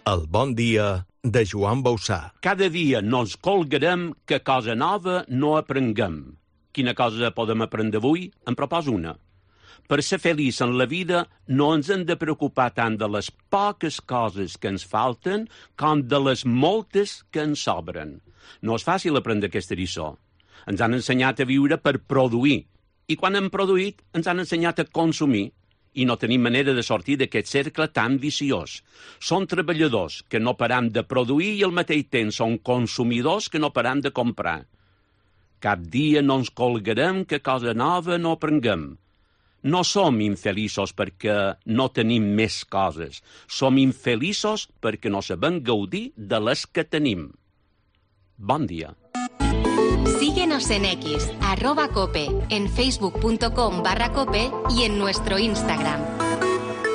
El bon dia de Joan Bausà. Cada dia no ens colgarem que cosa nova no aprenguem. Quina cosa podem aprendre avui? En proposo una. Per ser feliç en la vida no ens hem de preocupar tant de les poques coses que ens falten com de les moltes que ens sobren. No és fàcil aprendre aquesta lliçó. Ens han ensenyat a viure per produir. I quan hem produït, ens han ensenyat a consumir. I no tenim manera de sortir d'aquest cercle tan viciós. Som treballadors que no param de produir i al mateix temps som consumidors que no param de comprar. Cap dia no ens colgarem que cosa nova no aprenguem. No som infeliços perquè no tenim més coses. Som infeliços perquè no sabem gaudir de les que tenim. Bon dia. Síguenos en X, @cope, en facebook.com/cope y en nuestro Instagram.